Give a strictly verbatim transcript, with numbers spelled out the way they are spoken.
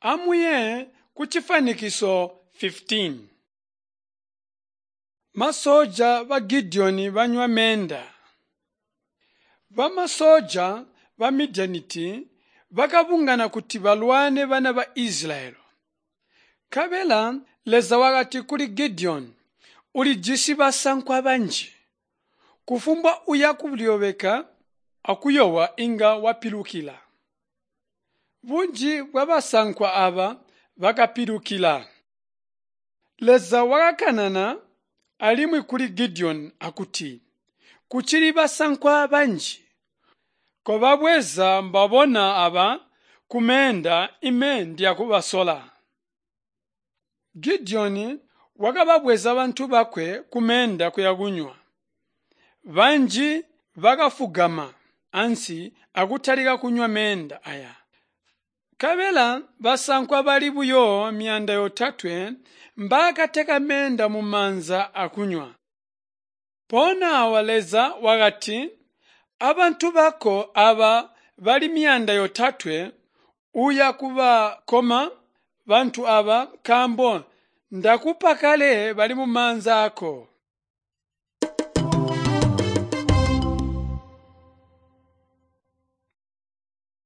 Amuye kucifwanikiso fifteen. Masoja ba Gideoni banywa meenda. Bamasoja ba Midianiti bakabungana kuti balwane bana ba Israyeli. Nkabela Leza wakati kuli Gideoni, "Ulijisi basankwa banji. Kufumbwa uya kulyobeka akuyowa inga wapilukila." Bunji bwabasankwa aaba bakapilukila. Leza wakakanana alimwi kuli Gideoni akuti, "Kucili basankwa banji. Kobabweza mbabona aba kumeenda ime ndiyakubasola." Gideoni wakababweza bantu bakwe kumeenda kuya kunywa. Banji bakafugama ansi akutalika kunywa meenda aya. Nkabela basankwa bali buyo myaanda yotatwe mbaakateka meenda mumaanza akunywa. Mpoona awa Leza wakati, "Abantu bako aba bali myaanda yotatwe uya kubakoma bantu aba nkaambo ndakupa kale bali mumaanza aako.